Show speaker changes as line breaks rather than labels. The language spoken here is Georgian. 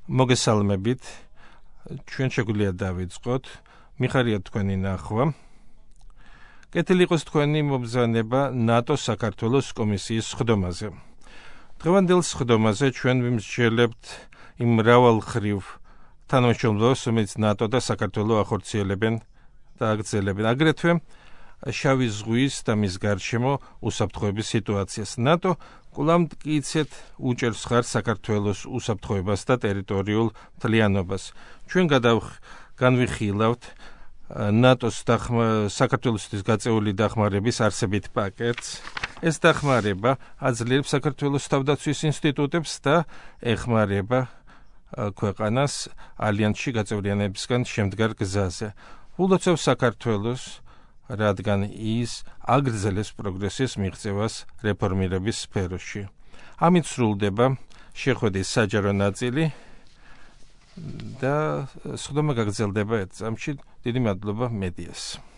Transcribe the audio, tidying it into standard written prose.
მოგესალმებით, ჩვენ შეგვიძლია დავიწყოთ, მიხარია თქვენი ნახვა. კეთილი იყოს თქვენი მობრძანება ნატოს საქართველოს კომისიის სხდომაზე. დღევანდელ სხდომაზე ჩვენ ვიმსჯელებთ იმ მრავალმხრივ თანამშრომლობას, რომელიც ნატო და საქართველო ახორციელებენ და აგრძელებენ. აგრეთვე შავი ზღვის და მის გარშემო უსაფრთხოების სიტუაციას. ნატო კვლავ მტკიცედ უჭერს ხარს საქართველოს უსაფრთხოებას და ტერიტორიულ მთლიანობას. ჩვენ განვიხილავთ ნატოს საქართველოსთვის გაწეული დახმარების არსებით პაკეტს. ეს დახმარება აძლიერებს საქართველოს თავდაცვის ინსტიტუტებს და ეხმარება ქვეყანას ალიანსში გაწევრიანებისგან შემდგარ გზაზე. ულოცავს საქართველოს, რადგან ის აგრძელებს პროგრესის მიღწევას რეფორმირების სფეროში. ამით სრულდება შეხვედრის საჯარო ნაწილი და სხდომა გაგრძელდება ერთ წამში. დიდი მადლობა მედიას.